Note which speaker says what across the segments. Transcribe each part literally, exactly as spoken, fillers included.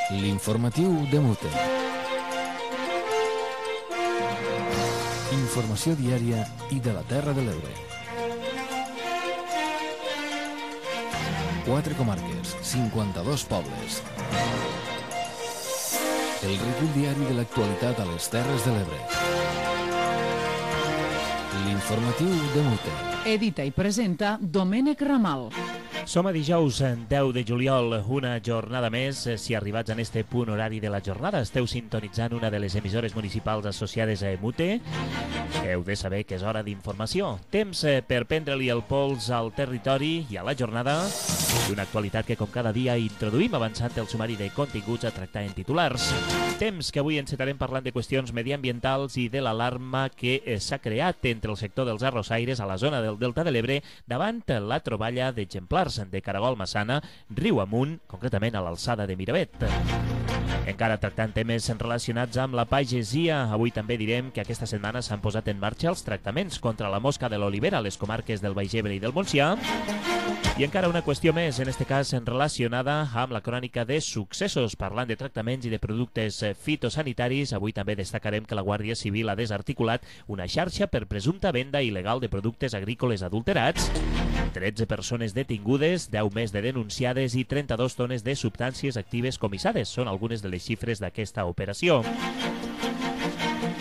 Speaker 1: L'informatiu de Mute. Informació diària i de la Terra de l'Ebre. Quatre comarques, cinquanta-dos pobles. El recull diari de l'actualitat a les Terres de l'Ebre. L'informatiu de Mute.
Speaker 2: Edita i presenta Domènec Ramal.
Speaker 3: Som a dijous deu de juliol, una jornada més. Si arribats en este punt horari de la jornada esteu sintonitzant una de les emissores municipals associades a Mute, heu de saber que és hora d'informació. Temps per prendre-li el pols al territori i a la jornada, i una actualitat que com cada dia introduïm avançant el sumari de continguts a tractar en titulars. Temps que avui encetarem parlant de qüestions mediambientals i de l'alarma que s'ha creat entre el sector dels arrossaires a la zona del Delta de l'Ebre davant la troballa d'exemplars de caragol massana riu amunt, concretament a l'alçada de Miravet. Encara tractant temes relacionats amb la pagesia, avui també direm que aquesta setmana s'han posat en marxa els tractaments contra la mosca de l'olivera a les comarques del Baix Ebre i del Montsià. I encara una qüestió més, en este cas relacionada amb la crònica de successos. Parlant de tractaments i de productes fitosanitaris, avui també destacarem que la Guàrdia Civil ha desarticulat una xarxa per presumpta venda il·legal de productes agrícoles adulterats, tretze persones detingudes, deu més de denunciades i trenta-dues tones de substàncies actives comissades. Són algunes de les xifres d'aquesta operació.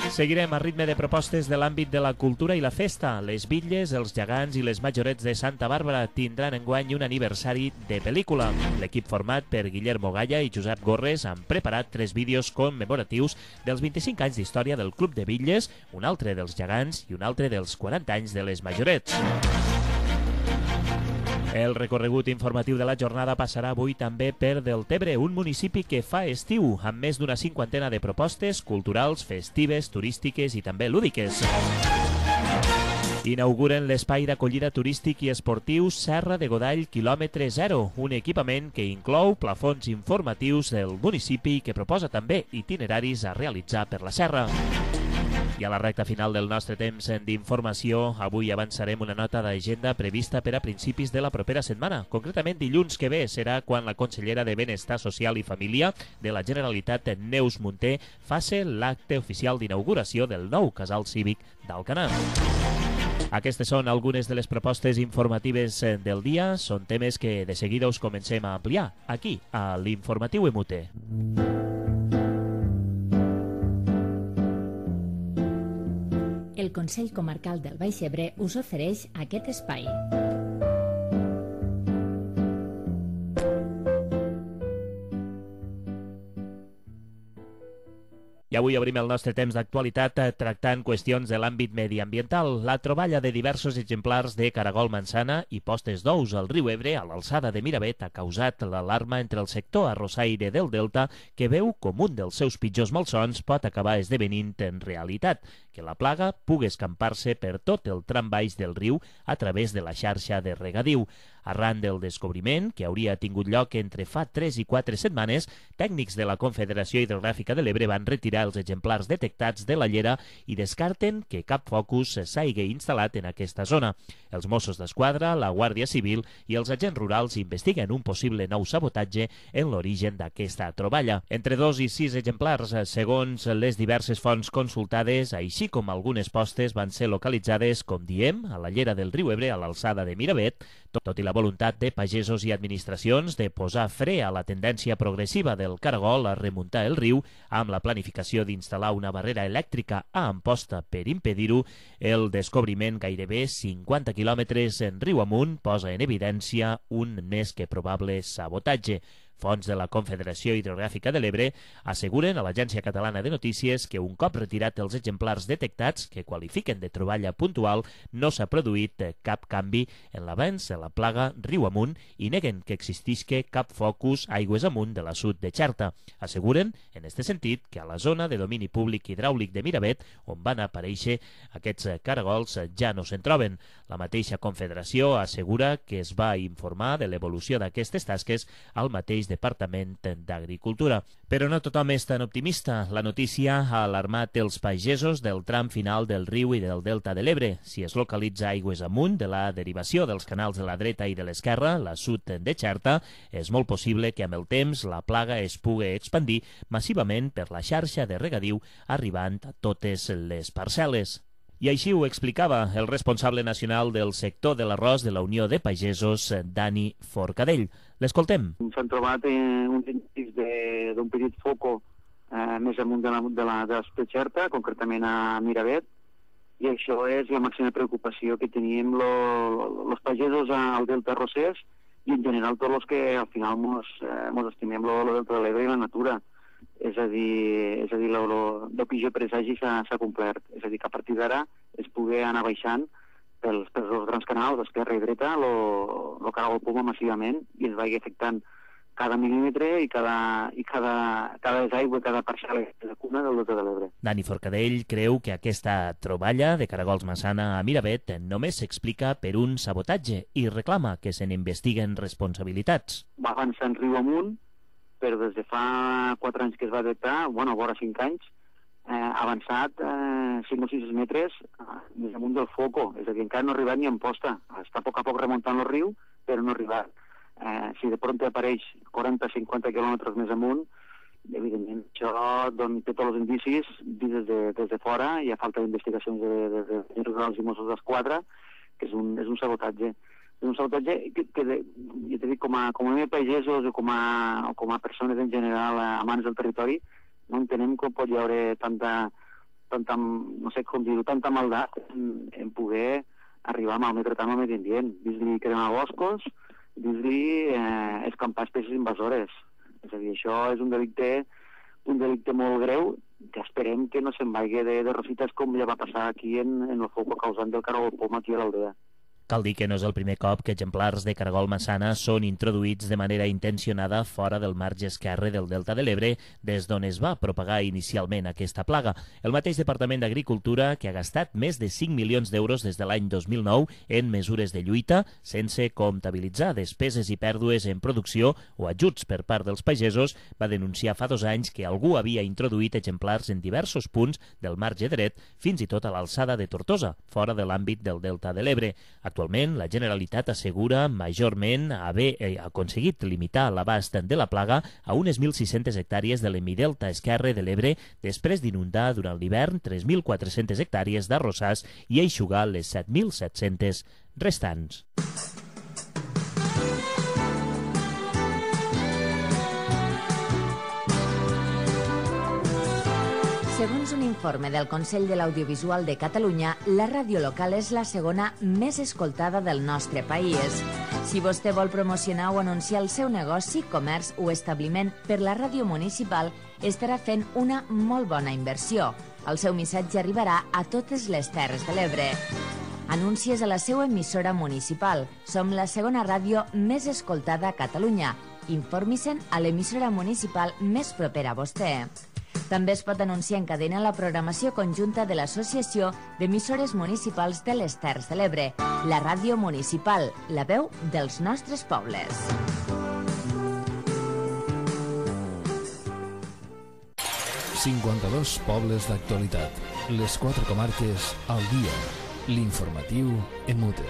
Speaker 3: Seguirem a ritme de propostes de l'àmbit de la cultura i la festa. Les bitlles, els gegants i les majorets de Santa Bàrbara tindran enguany un aniversari de pel·lícula. L'equip format per Guillermo Galla i Josep Gorres han preparat tres vídeos commemoratius dels vint-i-cinc anys d'història del Club de Bitlles, un altre dels gegants i un altre dels quaranta anys de les majorets. El recorregut informatiu de la jornada passarà avui també per Deltebre, un municipi que fa estiu, amb més d'una cinquantena de propostes culturals, festives, turístiques i també lúdiques. Inauguren l'espai d'acollida turístic i esportiu Serra de Godall quilòmetre zero, un equipament que inclou plafons informatius del municipi i que proposa també itineraris a realitzar per la serra. I a la recta final del nostre temps d'informació, avui avançarem una nota d'agenda prevista per a principis de la propera setmana. Concretament, dilluns que ve serà quan la consellera de Benestar Social i Família de la Generalitat, Neus Munté, faci l'acte oficial d'inauguració del nou casal cívic d'Alcanar. Aquestes són algunes de les propostes informatives del dia. Són temes que de seguida us comencem a ampliar aquí, a l'Informatiu Emute.
Speaker 4: El Consell Comarcal del Baix Ebre us ofereix aquest espai.
Speaker 3: I avui obrim el nostre temps d'actualitat tractant qüestions de l'àmbit mediambiental. La troballa de diversos exemplars de caragol mansana i postes d'ous al riu Ebre a l'alçada de Miravet ha causat l'alarma entre el sector arrossaire del Delta, que veu com un dels seus pitjors malsons pot acabar esdevenint en realitat, que la plaga pugui escampar-se per tot el tram baix del riu a través de la xarxa de regadiu. Arran del descobriment, que hauria tingut lloc entre fa tres i quatre setmanes, tècnics de la Confederació Hidrogràfica de l'Ebre van retirar els exemplars detectats de la llera i descarten que cap focus s'hagi instal·lat en aquesta zona. Els Mossos d'Esquadra, la Guàrdia Civil i els agents rurals investiguen un possible nou sabotatge en l'origen d'aquesta troballa. Entre dos i sis exemplars, segons les diverses fonts consultades, així com algunes postes van ser localitzades, com diem, a la llera del riu Ebre a l'alçada de Miravet, tot i la voluntat de pagesos i administracions de posar fre a la tendència progressiva del caragol a remuntar el riu amb la planificació d'instal·lar una barrera elèctrica a Amposta per impedir-ho, el descobriment gairebé cinquanta quilòmetres en riu amunt posa en evidència un més que probable sabotatge. Fonts de la Confederació Hidrogràfica de l'Ebre asseguren a l'Agència Catalana de Notícies que un cop retirat els exemplars detectats, que qualifiquen de troballa puntual, no s'ha produït cap canvi en l'avanç de la plaga riu amunt i neguen que existisca cap focus aigües amunt de l'assut de Xerta. Asseguren, en este sentit, que a la zona de domini públic hidràulic de Miravet, on van aparèixer aquests caragols, ja no se'n troben. La mateixa Confederació assegura que es va informar de l'evolució d'aquestes tasques al mateix mateix Departament d'Agricultura. Però no tothom és tan optimista. La notícia ha alarmat els pagesos del tram final del riu i del delta de l'Ebre. Si es localitza aigües amunt de la derivació dels canals de la dreta i de l'esquerra, la sud de Xerta, és molt possible que amb el temps la plaga es pugui expandir massivament per la xarxa de regadiu, arribant a totes les parcel·les. I així ho explicava el responsable nacional del sector de l'arròs de la Unió de Pagesos, Dani Forcadell. L'escoltem.
Speaker 5: S'han trobat eh, uns indicis d'un petit foco eh, més amunt de la, de la, de la Xerta, concretament a Miravet, i això és la màxima preocupació que tenim els pagesos al Delta Rosés i en general tots els que al final mos, eh, mos estimem el Delta de l'Ebre i la natura. És a dir, és a dir, el pitjor presagi s'ha complert. És a dir, que a partir d'ara es pugui anar baixant pels, pels dos grans canals, esquerra i dreta, el caragol poma massivament i ens vagi afectant cada mil·límetre i cada, i cada, cada desaigua, cada parcel·la de cuna del Delta de l'Ebre.
Speaker 3: Dani Forcadell creu que aquesta troballa de caragols massana a Miravet només s'explica per un sabotatge i reclama que se n'investiguen responsabilitats.
Speaker 5: Va avançant riu amunt, però des de fa quatre anys que es va detectar, bueno, vora cinc anys, eh, ha avançat eh, cinc o sis metres eh, més amunt del foco, és a dir, encara no ha arribat ni en posta. Està a poc a poc remuntant el riu, però no ha arribat. Eh, si de pront apareix quaranta a cinquanta quilòmetres més amunt, evidentment això doncs, té tots els indicis des de, des de fora, hi ha falta d'investigacions de, de, de, de Rurals i Mossos d'Esquadra, que és un, és un sabotatge. És un sabotatge que, que de, jo t'he dit, com a, com a pagesos o com a, o com a persones en general amants del territori, no entenem com pot hi haver tanta, tanta no sé com dir-ho, tanta maldat en, en poder arribar a malmetre tant al medi ambient. Dis-li cremar boscos, dis-li eh, escampar espècies invasores. És a dir, això és un delicte, un delicte molt greu que esperem que no se'n vagi de, de rosites com ja va passar aquí en, en el foc causant del caragol poma aquí a l'aldea.
Speaker 3: Cal dir que no és el primer cop que exemplars de caragol massana són introduïts de manera intencionada fora del marge esquerre del Delta de l'Ebre, des d'on es va propagar inicialment aquesta plaga. El mateix Departament d'Agricultura, que ha gastat més de cinc milions d'euros des de l'any dos mil nou en mesures de lluita, sense comptabilitzar despeses i pèrdues en producció o ajuts per part dels pagesos, va denunciar fa dos anys que algú havia introduït exemplars en diversos punts del marge dret, fins i tot a l'alçada de Tortosa, fora de l'àmbit del Delta de l'Ebre. Actualment, la Generalitat assegura majorment haver aconseguit limitar l'abast de la plaga a unes mil sis-centes hectàrees de l'hemidelta esquerre de l'Ebre després d'inundar durant l'hivern tres mil quatre-centes hectàrees d'arrossars i eixugar les set mil set-centes restants.
Speaker 6: Segons un informe del Consell de l'Audiovisual de Catalunya, la ràdio local és la segona més escoltada del nostre país. Si vostè vol promocionar o anunciar el seu negoci, comerç o establiment per la ràdio municipal, estarà fent una molt bona inversió. El seu missatge arribarà a totes les Terres de l'Ebre. Anuncies a la seva emissora municipal. Som la segona ràdio més escoltada a Catalunya. Informi-se'n a l'emissora municipal més propera a vostè. També es pot anunciar en cadena la programació conjunta de l'Associació d'Emissores Municipals de les Terres de l'Ebre, la ràdio municipal, la veu dels nostres pobles.
Speaker 1: cinquanta-dos pobles d'actualitat. Les quatre comarques al dia. L'informatiu en mute.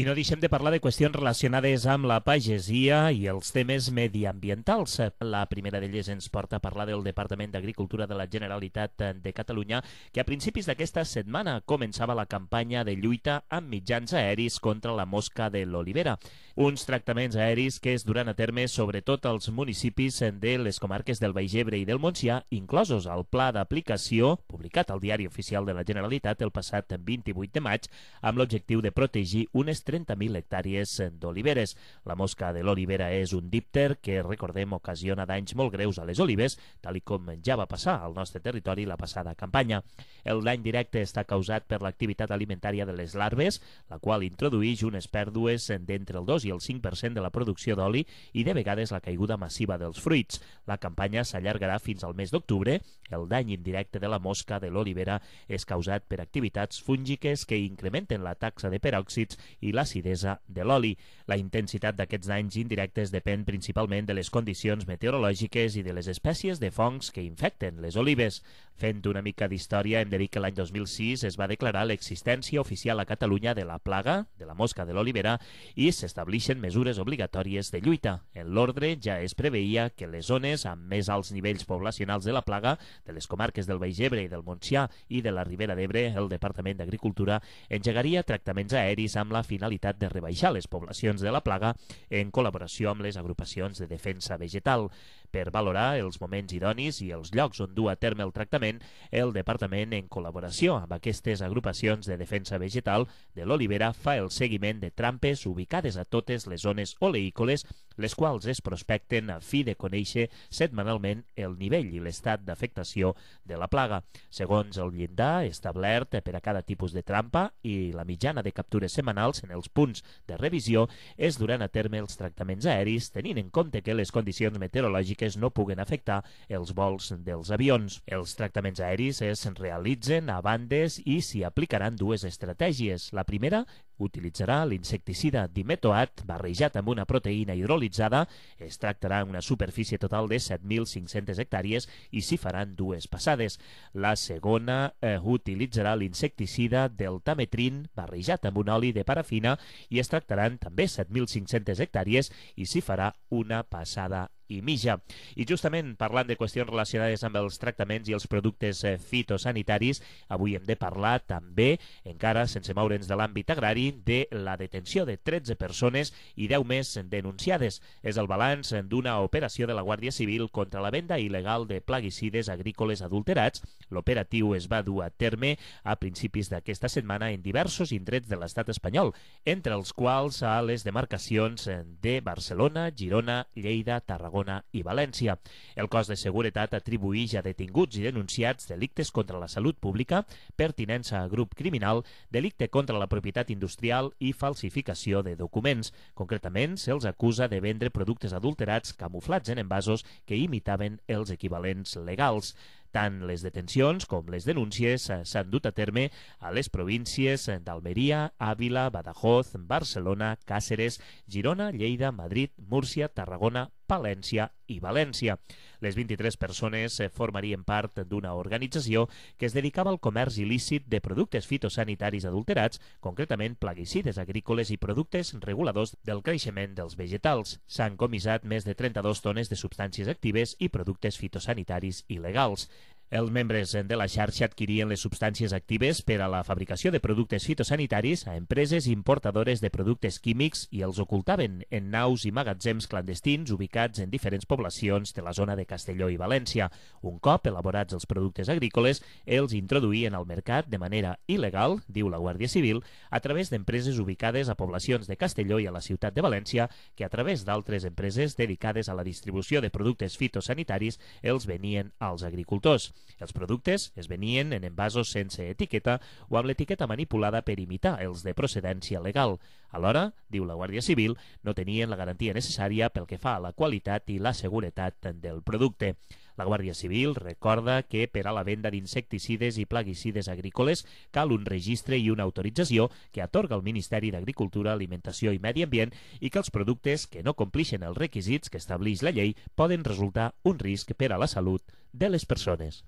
Speaker 3: I no deixem de parlar de qüestions relacionades amb la pagesia i els temes mediambientals. La primera d'elles ens porta a parlar del Departament d'Agricultura de la Generalitat de Catalunya, que a principis d'aquesta setmana començava la campanya de lluita amb mitjans aeris contra la mosca de l'olivera. Uns tractaments aeris que es duran a terme sobretot als municipis de les comarques del Baix Ebre i del Montsià, inclosos al pla d'aplicació, publicat al Diari Oficial de la Generalitat el passat vint-i-vuit de maig, amb l'objectiu de protegir unes trenta mil hectàrees d'oliveres. La mosca de l'olivera és un dípter que, recordem, ocasiona danys molt greus a les olives, tal i com ja va passar al nostre territori la passada campanya. El dany directe està causat per l'activitat alimentària de les larves, la qual introdueix unes pèrdues d'entre el dos i el cinc per cent de la producció d'oli i de vegades la caiguda massiva dels fruits. La campanya s'allargarà fins al mes d'octubre. El dany indirecte de la mosca de l'olivera és causat per activitats fúngiques que incrementen la taxa de peròxids i l'acidesa de l'oli. La intensitat d'aquests danys indirectes depèn principalment de les condicions meteorològiques i de les espècies de fongs que infecten les olives. Fent una mica d'història, hem de dir que l'any dos mil sis es va declarar l'existència oficial a Catalunya de la plaga de la mosca de l'olivera i s'establixen mesures obligatòries de lluita. En l'ordre ja es preveia que les zones amb més alts nivells poblacionals de la plaga, de les comarques del Baix Ebre i del Montsià i de la Ribera d'Ebre, el Departament d'Agricultura engegaria tractaments aeris amb la finalitat de rebaixar les poblacions de la plaga en col·laboració amb les agrupacions de defensa vegetal. Per valorar els moments idonis i els llocs on dur a terme el tractament, el Departament, en col·laboració amb aquestes agrupacions de defensa vegetal de l'olivera, fa el seguiment de trampes ubicades a totes les zones oleícoles, les quals es prospecten a fi de conèixer setmanalment el nivell i l'estat d'afectació de la plaga. Segons el llindar establert per a cada tipus de trampa i la mitjana de captures setmanals en els punts de revisió, es duran a terme els tractaments aeris, tenint en compte que les condicions meteorològiques no puguen afectar els vols dels avions. Els tractaments aeris es realitzen a bandes i s'hi aplicaran dues estratègies. La primera utilitzarà l'insecticida dimetoat barrejat amb una proteïna hidrolitzada. Es tractarà una superfície total de set mil cinc-centes hectàrees i s'hi faran dues passades. La segona eh, utilitzarà l'insecticida del tametrin barrejat amb un oli de parafina i es tractaran també set mil cinc-centes hectàrees i s'hi farà una passada i mitja. I justament parlant de qüestions relacionades amb els tractaments i els productes fitosanitaris, avui hem de parlar també, encara sense moure'ns de l'àmbit agrari, de la detenció de tretze persones i deu més denunciades. És el balanç d'una operació de la Guàrdia Civil contra la venda il·legal de plaguicides agrícoles adulterats. L'operatiu es va dur a terme a principis d'aquesta setmana en diversos indrets de l'estat espanyol, entre els quals a les demarcacions de Barcelona, Girona, Lleida, Tarragona i València. El cos de seguretat atribuïx a detinguts i denunciats delictes contra la salut pública, pertinença a grup criminal, delicte contra la propietat industrial i falsificació de documents. Concretament, se'ls acusa de vendre productes adulterats camuflats en envasos que imitaven els equivalents legals. Tant les detencions com les denúncies s'han dut a terme a les províncies d'Almeria, Àvila, Badajoz, Barcelona, Càceres, Girona, Lleida, Madrid, Múrcia, Tarragona, Palència i València. Les vint-i-tres persones formarien part d'una organització que es dedicava al comerç il·lícit de productes fitosanitaris adulterats, concretament plaguicides agrícoles i productes reguladors del creixement dels vegetals. S'han comissat més de trenta-dues tones de substàncies actives i productes fitosanitaris il·legals. Els membres de la xarxa adquirien les substàncies actives per a la fabricació de productes fitosanitaris a empreses importadores de productes químics i els ocultaven en naus i magatzems clandestins ubicats en diferents poblacions de la zona de Castelló i València. Un cop elaborats els productes agrícoles, els introduïen al mercat de manera il·legal, diu la Guàrdia Civil, a través d'empreses ubicades a poblacions de Castelló i a la ciutat de València, que a través d'altres empreses dedicades a la distribució de productes fitosanitaris els venien als agricultors. Els productes es venien en envasos sense etiqueta o amb l'etiqueta manipulada per imitar els de procedència legal. Alhora, diu la Guàrdia Civil, no tenien la garantia necessària pel que fa a la qualitat i la seguretat del producte. La Guàrdia Civil recorda que per a la venda d'insecticides i plaguicides agrícoles cal un registre i una autorització que atorga el Ministeri d'Agricultura, Alimentació i Medi Ambient i que els productes que no complixen els requisits que estableix la llei poden resultar un risc per a la salut de les persones.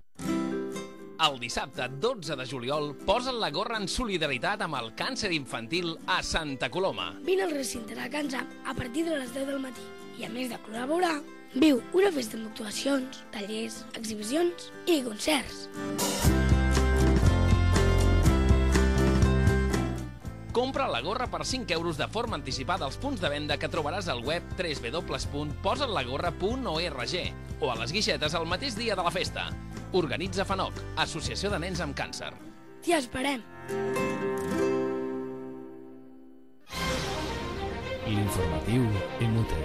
Speaker 7: El dissabte dotze de juliol posen la gorra en solidaritat amb el càncer infantil a Santa Coloma.
Speaker 8: Vine al recinte de Cansam a partir de les deu del matí i, a més de col·laborar, viu una festa amb actuacions, tallers, exhibicions i concerts.
Speaker 7: Compra la gorra per cinc euros de forma anticipada als punts de venda que trobaràs al web w w w punt posatlagorra punt org o a les guixetes el mateix dia de la festa. Organitza FANOC, Associació de Nens amb Càncer.
Speaker 8: T'hi esperem!
Speaker 1: l'informatiu Emute.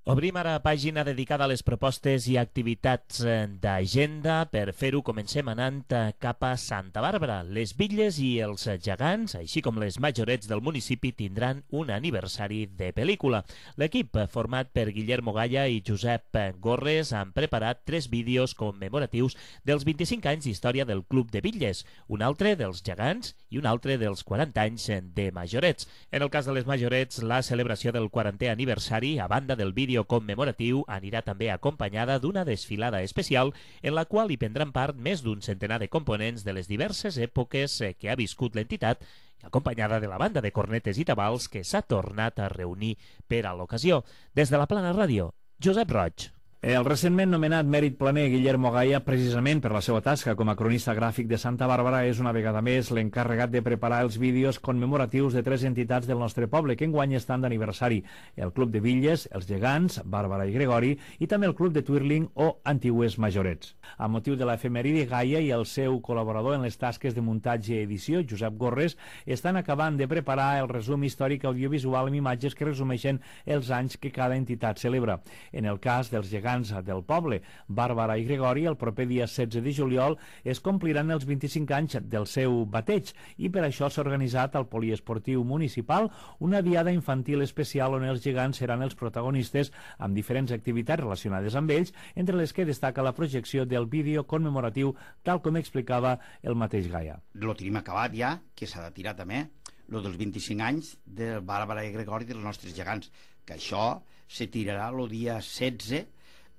Speaker 3: Obrim ara pàgina dedicada a les propostes i activitats d'agenda. Per fer-ho comencem anant cap a Santa Bàrbara. Les bitlles i els gegants, així com les majorets del municipi, tindran un aniversari de pel·lícula. L'equip, format per Guillermo Gaya i Josep Gorres, han preparat tres vídeos commemoratius dels vint-i-cinc anys d'història del Club de Bitlles, un altre dels gegants i un altre dels quaranta anys de majorets. En el cas de les majorets, la celebració del quarantè aniversari, a banda del vídeo commemoratiu, anirà també acompanyada d'una desfilada especial en la qual hi prendran part més d'un centenar de components de les diverses èpoques que ha viscut l'entitat, acompanyada de la banda de cornetes i tabals que s'ha tornat a reunir per a l'ocasió. Des de la Plana Ràdio, Josep Roig.
Speaker 9: El recentment nomenat mèrit planer Guillermo Gaya, precisament per la seva tasca com a cronista gràfic de Santa Bàrbara, és una vegada més l'encarregat de preparar els vídeos commemoratius de tres entitats del nostre poble que enguany estan d'aniversari: el Club de Bitlles, els Gegants, Bàrbara i Gregori, i també el Club de Twirling o Antigues Majorets. A motiu de l'efemèride, Gaya i el seu col·laborador en les tasques de muntatge i edició, Josep Gorres, estan acabant de preparar el resum històric audiovisual amb imatges que resumeixen els anys que cada entitat celebra. En el cas dels Gegants del poble, Bàrbara i Gregori, el proper dia setze de juliol es compliran els vint-i-cinc anys del seu bateig i per això s'ha organitzat al poliesportiu municipal una diada infantil especial on els gegants seran els protagonistes amb diferents activitats relacionades amb ells, entre les que destaca la projecció del vídeo commemoratiu, tal com explicava el mateix Gaya.
Speaker 10: Lo tenim acabat ja, que s'ha de tirar també, lo dels vint-i-cinc anys de Bàrbara i Gregori dels nostres gegants, que això se tirarà el dia setze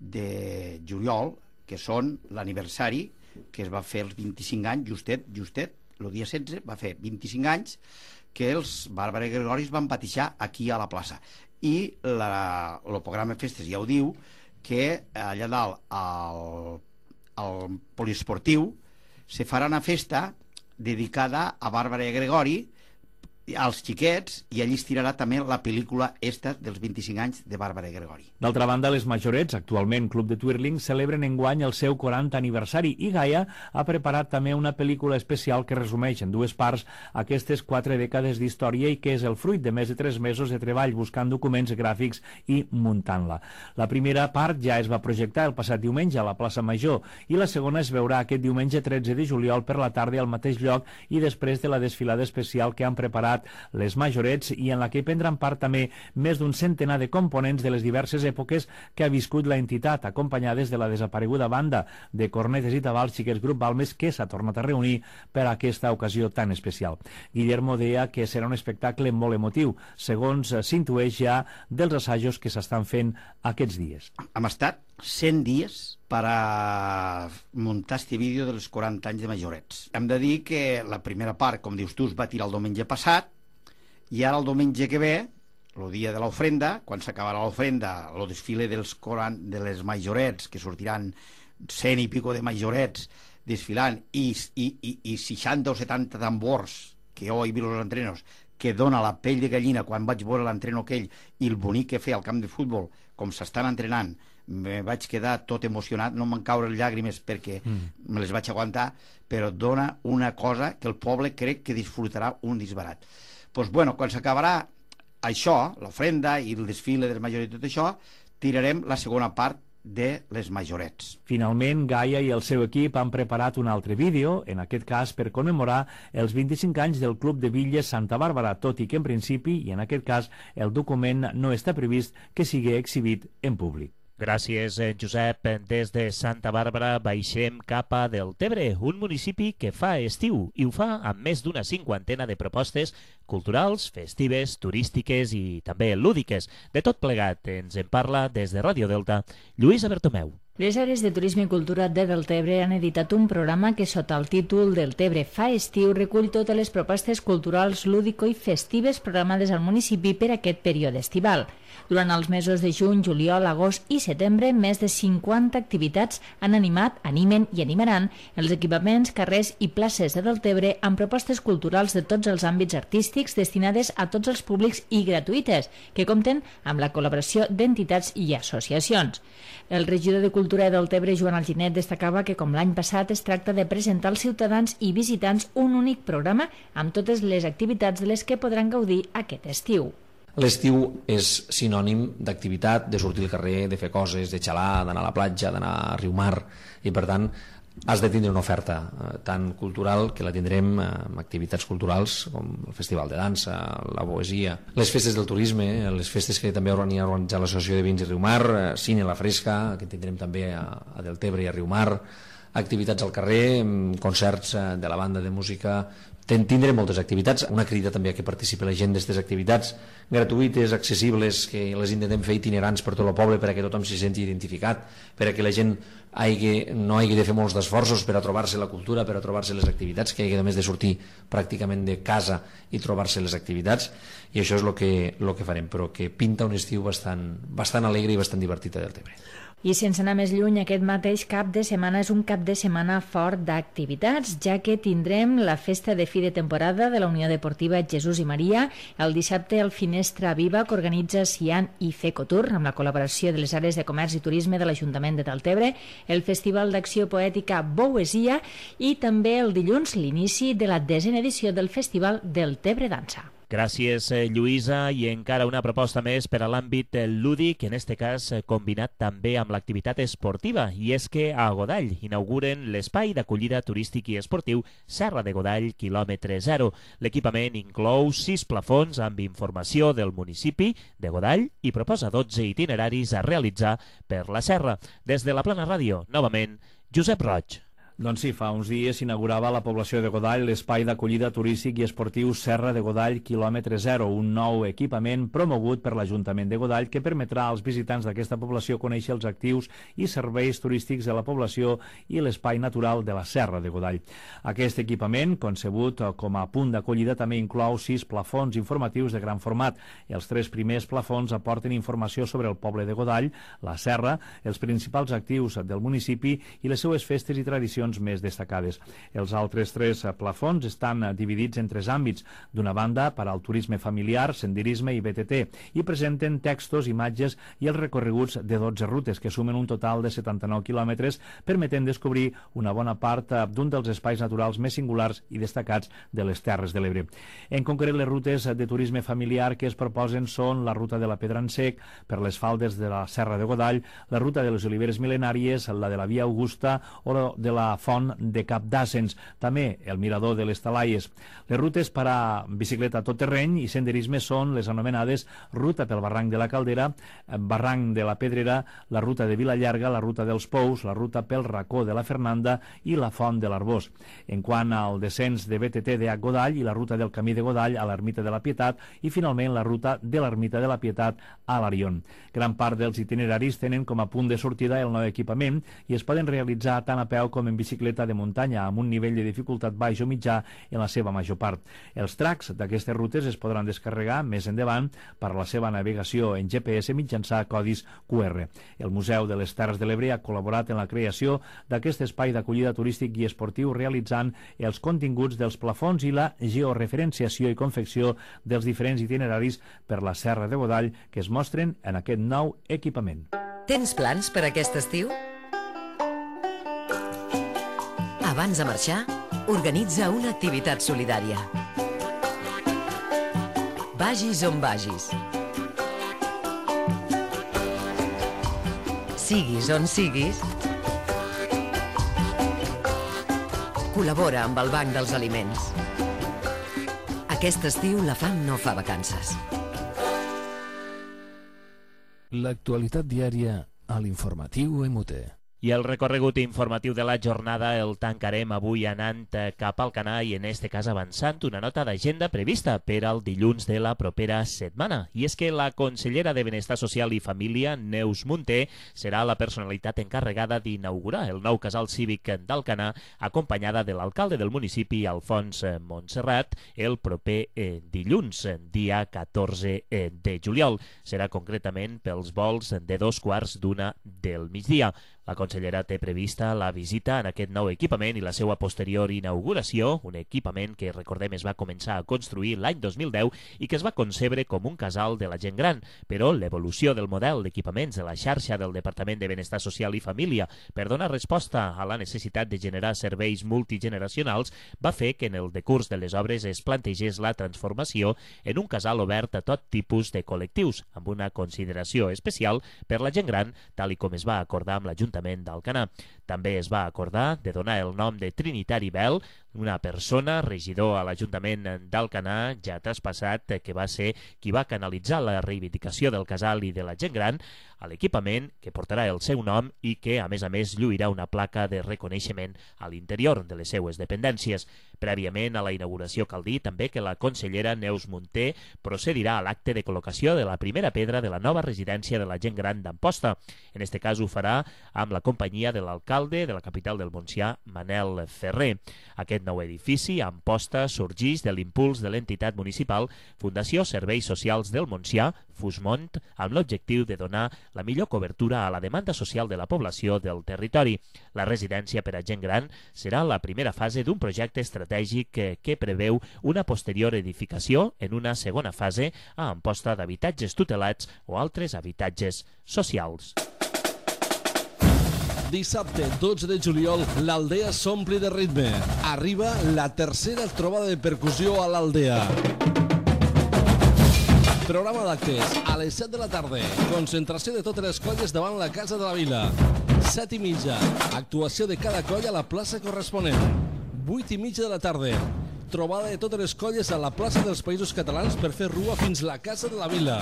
Speaker 10: de juliol, que són l'aniversari que es va fer els vint-i-cinc anys, justet, justet, el dia setze va fer vint-i-cinc anys que els Bàrbara i Gregori es van batijar aquí a la plaça. I la, el programa Festes ja ho diu, que allà dalt al, al poliesportiu se farà una festa dedicada a Bàrbara i Gregori, als xiquets, i allí es tirarà també la pel·lícula esta dels vint-i-cinc anys de Bàrbara i Gregori.
Speaker 9: D'altra banda, les majorets, actualment Club de Twirling, celebren enguany el seu quaranta aniversari i Gaya ha preparat també una pel·lícula especial que resumeix en dues parts aquestes quatre dècades d'història i que és el fruit de més de tres mesos de treball buscant documents gràfics i muntant-la. La primera part ja es va projectar el passat diumenge a la plaça Major i la segona es veurà aquest diumenge tretze de juliol per la tarda al mateix lloc i després de la desfilada especial que han preparat les majorets i en la que prendran part també més d'un centenar de components de les diverses èpoques que ha viscut la entitat, acompanyades de la desapareguda banda de cornetes i tabals Xiquets Grup Balmes, que s'ha tornat a reunir per a aquesta ocasió tan especial. Guillermo deia que serà un espectacle molt emotiu, segons s'intueix ja dels assajos que s'estan fent aquests dies.
Speaker 10: Hem estat cent dies per a muntar este vídeo dels quaranta anys de majorets. Hem de dir que la primera part, com dius tu, es va tirar el diumenge passat, i ara el diumenge que ve, el dia de l'ofrenda, quan s'acabarà l'ofrenda, el desfile dels de les majorets, que sortiran cent i pico de majorets desfilant, i, i, i, i seixanta o setanta tambors, que jo he vist els entrenos, que dona la pell de gallina quan vaig veure l'entreno aquell i el bonic que feia al camp de futbol, com s'estan entrenant, me vaig quedar tot emocionat, no me'n caure llàgrimes perquè mm. me les vaig aguantar, però dona una cosa que el poble crec que disfrutarà un disbarat. Doncs pues, bueno, quan s'acabarà això, l'ofrenda i el desfile dels majorets i tot això, tirarem la segona part de les majorets.
Speaker 9: Finalment, Gaya i el seu equip han preparat un altre vídeo, en aquest cas per commemorar els vint-i-cinc anys del Club de Bitlles Santa Bàrbara, tot i que en principi, i en aquest cas, el document no està previst que sigui exhibit en públic.
Speaker 3: Gràcies, Josep. Des de Santa Bàrbara baixem cap a Deltebre, un municipi que fa estiu i ho fa amb més d'una cinquantena de propostes culturals, festives, turístiques i també lúdiques. De tot plegat ens en parla des de Ràdio Delta Lluïsa Bertomeu.
Speaker 4: Les àrees de turisme i cultura de Deltebre han editat un programa que sota el títol Deltebre fa estiu recull totes les propostes culturals, lúdico i festives programades al municipi per aquest període estival. Durant els mesos de juny, juliol, agost i setembre, més de cinquanta activitats han animat, animen i animaran els equipaments, carrers i places de Deltebre amb propostes culturals de tots els àmbits artístics destinades a tots els públics i gratuïtes, que compten amb la col·laboració d'entitats i associacions. El regidor de Cultura de Deltebre, Joan Alginet, destacava que, com l'any passat, es tracta de presentar als ciutadans i visitants un únic programa amb totes les activitats de les que podran gaudir aquest estiu.
Speaker 11: L'estiu és sinònim d'activitat, de sortir al carrer, de fer coses, de xalar, d'anar a la platja, d'anar a Riumar, i per tant has de tindre una oferta eh, tan cultural que la tindrem eh, amb activitats culturals com el Festival de Dansa, la poesia, les festes del turisme, eh, les festes que també ha organitzat l'Associació de Vins i Riumar, eh, Cine La Fresca, que tindrem també a, a Deltebre i a Riumar, activitats al carrer, concerts eh, de la banda de música. Tindrem moltes activitats, una crida també a que participi la gent d'aquestes activitats gratuïtes, accessibles, que les intentem fer itinerants per tot el poble perquè tothom s'hi senti identificat, perquè la gent hagi, no hagi de fer molts d'esforços per a trobar-se la cultura, per a trobar-se les activitats, que hagi només de sortir pràcticament de casa i trobar-se les activitats, i això és el que, el que farem, però que pinta un estiu bastant, bastant alegre i bastant divertit a Deltebre.
Speaker 4: I sense anar més lluny, aquest mateix cap de setmana és un cap de setmana fort d'activitats, ja que tindrem la festa de fi de temporada de la Unió Deportiva Jesús i Maria, el dissabte el Finestra Viva que organitza Cian i Fecotur amb la col·laboració de les àrees de comerç i turisme de l'Ajuntament de Deltebre, el Festival d'Acció Poètica Boesia i també el dilluns l'inici de la desena edició del Festival Deltebre Dansa.
Speaker 3: Gràcies, Lluïsa. I encara una proposta més per a l'àmbit lúdic, en aquest cas combinat també amb l'activitat esportiva, i és que a Godall inauguren l'espai d'acollida turístic i esportiu Serra de Godall, quilòmetre zero. L'equipament inclou sis plafons amb informació del municipi de Godall i proposa dotze itineraris a realitzar per la serra. Des de la Plana Ràdio, novament, Josep Roig.
Speaker 9: Doncs sí, fa uns dies s'inaugurava a la població de Godall l'espai d'acollida turístic i esportiu Serra de Godall, quilòmetre zero, un nou equipament promogut per l'Ajuntament de Godall que permetrà als visitants d'aquesta població conèixer els actius i serveis turístics de la població i l'espai natural de la Serra de Godall. Aquest equipament, concebut com a punt d'acollida, també inclou sis plafons informatius de gran format. Els tres primers plafons aporten informació sobre el poble de Godall, la Serra, els principals actius del municipi i les seues festes i tradicions més destacades. Els altres tres plafons estan dividits en tres àmbits. D'una banda, per al turisme familiar, senderisme i B T T, i presenten textos, imatges i els recorreguts de dotze rutes, que sumen un total de setanta-nou quilòmetres, permetent descobrir una bona part d'un dels espais naturals més singulars i destacats de les Terres de l'Ebre. En concret, les rutes de turisme familiar que es proposen són la ruta de la Pedra en Sec, per les faldes de la Serra de Godall, la ruta de les Oliveres Mil·lenàries, la de la Via Augusta o la de la Font de Cap d'Àssens, també el mirador de les Talaies. Les rutes per a bicicleta tot terreny i senderisme són les anomenades ruta pel barranc de la Caldera, barranc de la Pedrera, la ruta de Vilallarga, la ruta dels Pous, la ruta pel racó de la Fernanda i la Font de l'Arbós. En quant al descens de B T T de Godall i la ruta del Camí de Godall a l'Ermita de la Pietat i finalment la ruta de l'Ermita de la Pietat a l'Arion. Gran part dels itineraris tenen com a punt de sortida el nou equipament i es poden realitzar tant a peu com en bicicleta de muntanya amb un nivell de dificultat baix o mitjà en la seva major part. Els tracks d'aquestes rutes es podran descarregar més endavant per a la seva navegació en G P S mitjançant codis Q R. El Museu de les Terres de l'Ebre ha col·laborat en la creació d'aquest espai d'acollida turístic i esportiu realitzant els continguts dels plafons i la georreferenciació i confecció dels diferents itineraris per la Serra de Godall que es mostren en aquest nou equipament.
Speaker 12: Tens plans per aquest estiu? Abans de marxar, organitza una activitat solidària. Vagis on vagis. Siguis on siguis, col·labora amb el Banc dels Aliments. Aquest estiu la fam no fa vacances.
Speaker 1: L'actualitat diària a l'informatiu M U T.
Speaker 3: I el recorregut informatiu de la jornada el tancarem avui anant cap al Canà i en este cas avançant una nota d'agenda prevista per al dilluns de la propera setmana. I és que la consellera de Benestar Social i Família, Neus Munté, serà la personalitat encarregada d'inaugurar el nou casal cívic d'Alcanar, acompanyada de l'alcalde del municipi, Alfons Montserrat, el proper eh, dilluns, dia catorze de juliol. Serà concretament pels vols de dos quarts d'una del migdia. La consellera té prevista la visita en aquest nou equipament i la seva posterior inauguració, un equipament que, recordem, es va començar a construir l'any dos mil deu i que es va concebre com un casal de la gent gran, però l'evolució del model d'equipaments de la xarxa del Departament de Benestar Social i Família per donar resposta a la necessitat de generar serveis multigeneracionals va fer que en el decurs de les obres es plantegés la transformació en un casal obert a tot tipus de col·lectius, amb una consideració especial per la gent gran, tal i com es va acordar amb l'Ajuntament d'Alcanar. També es va acordar de donar el nom de Trinitari Bel, una persona, regidor a l'Ajuntament d'Alcanar, ja traspassat, que va ser qui va canalitzar la reivindicació del casal i de la gent gran a l'equipament que portarà el seu nom i que, a més a més, lluirà una placa de reconeixement a l'interior de les seues dependències. Prèviament a la inauguració cal dir també que la consellera Neus Munté procedirà a l'acte de col·locació de la primera pedra de la nova residència de la gent gran d'Amposta. En este cas ho farà amb la companyia de l'alcalde de la capital del Montsià, Manel Ferrer. Aquest nou edifici, Amposta, sorgeix de l'impuls de l'entitat municipal Fundació Serveis Socials del Montsià, Fusmont, amb l'objectiu de donar la millor cobertura a la demanda social de la població del territori. La residència per a gent gran serà la primera fase d'un projecte estratègic que, que preveu una posterior edificació en una segona fase a Amposta d'habitatges tutelats o altres habitatges socials.
Speaker 13: Dissabte, dotze de juliol, l'Aldea s'ompli de ritme. Arriba la tercera trobada de percussió a l'Aldea. Programa d'actes a les set de la tarda. Concentració de totes les colles davant la Casa de la Vila. set i mitja. Actuació de cada colla a la plaça corresponent. vuit i mitja de la tarda. Trobada de totes les colles a la plaça dels Països Catalans per fer rua fins la Casa de la Vila.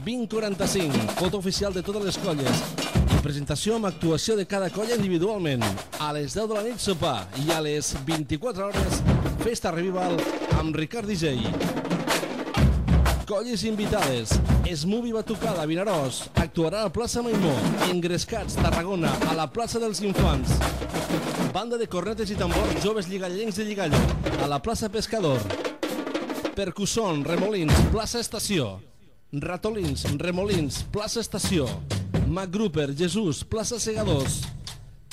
Speaker 13: vint quaranta-cinc. Foto oficial de totes les colles. I presentació amb actuació de cada colla individualment. A les deu de la nit sopar i a les vint-i-quatre hores festa revival amb Ricard D J. Colles invitades. Smubi Batucada, Vinaròs. Actuarà a la plaça Maimó. Engrescats, Tarragona, a la plaça dels Infants. Banda de cornetes i tambors, joves lligallencs de Lligallo, a la plaça Pescador. Percusson, Remolins, plaça Estació. Ratolins, Remolins, plaça Estació. MacGruper, Jesús, plaça Segadors.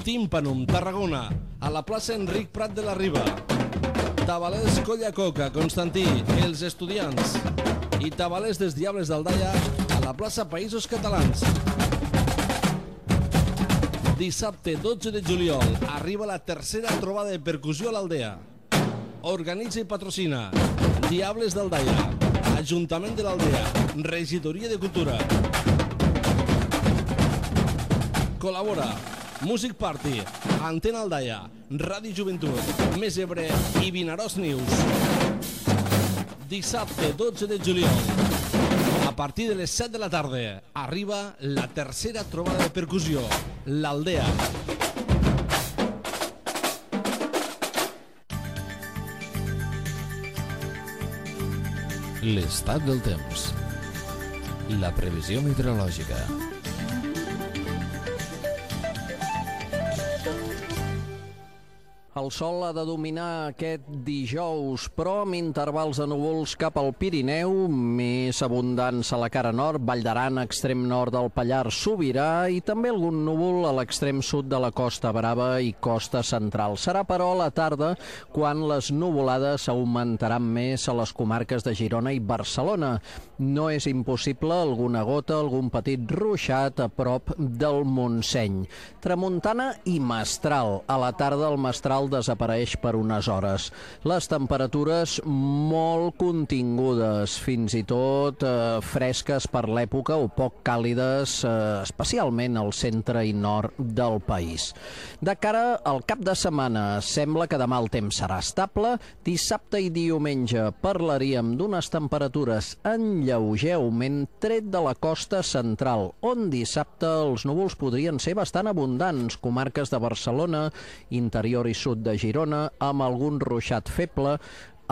Speaker 13: Tímpanum, Tarragona, a la plaça Enric Prat de la Riba. Tabalers, Colla Coca, Constantí, els estudiants. I Tabalers dels Diables d'Aldaia a la plaça Països Catalans. Dissabte dotze de juliol arriba la tercera trobada de percussió a l'Aldea. Organitza i patrocina Diables d'Aldaia, Ajuntament de l'Aldea, Regidoria de Cultura. Col·labora Music Party, Antena Aldaia, Ràdio Joventut, Més Ebre i Vinaròs News. Dissabte dotze de juliol, a partir de les set de la tarda, arriba la tercera trobada de percussió, l'Aldea.
Speaker 1: L'estat del temps. La previsió meteorològica.
Speaker 14: El sol ha de dominar aquest dijous, però amb intervals de núvols cap al Pirineu, més abundants a la cara nord, Vall d'Aran, extrem nord del Pallars, Sobirà, i també algun núvol a l'extrem sud de la Costa Brava i Costa Central. Serà, però, a la tarda quan les nuvolades augmentaran més a les comarques de Girona i Barcelona. No és impossible alguna gota, algun petit ruixat a prop del Montseny. Tramuntana i mestral. A la tarda el mestral sol desapareix per unes hores. Les temperatures molt contingudes, fins i tot eh, fresques per l'època o poc càlides, eh, especialment al centre i nord del país. De cara al cap de setmana, sembla que demà el temps serà estable. Dissabte i diumenge parlaríem d'unes temperatures en lleuger augment, tret de la costa central, on dissabte els núvols podrien ser bastant abundants, comarques de Barcelona, interior i sud de Girona, amb algun ruixat feble.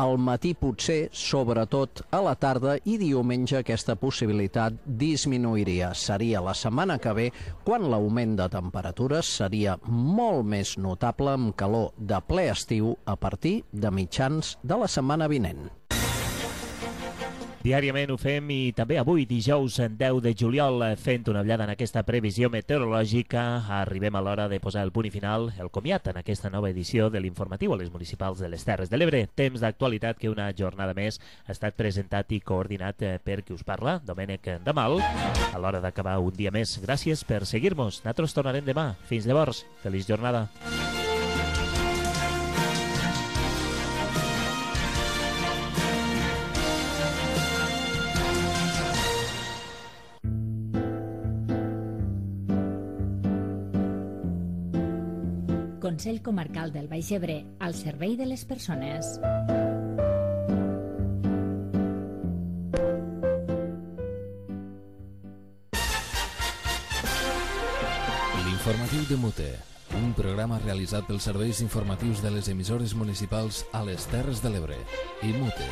Speaker 14: Al matí potser, sobretot a la tarda, i diumenge aquesta possibilitat disminuiria. Seria la setmana que ve quan l'augment de temperatures seria molt més notable, amb calor de ple estiu a partir de mitjans de la setmana vinent.
Speaker 3: Diàriament ho fem i també avui, dijous deu de juliol, fent una ullada en aquesta previsió meteorològica, arribem a l'hora de posar el punt i final, el comiat en aquesta nova edició de l'informatiu a les municipals de les Terres de l'Ebre. Temps d'actualitat que una jornada més ha estat presentat i coordinat per qui us parla, Domènec Damal. A l'hora d'acabar un dia més, gràcies per seguir-nos. Nosaltres tornarem demà. Fins llavors, feliç jornada.
Speaker 4: Consell Comarcal del Baix Ebre, al servei de les persones.
Speaker 1: L'informatiu de Mute, un programa realitzat pels serveis informatius de les emissores municipals a les Terres de l'Ebre i Mute.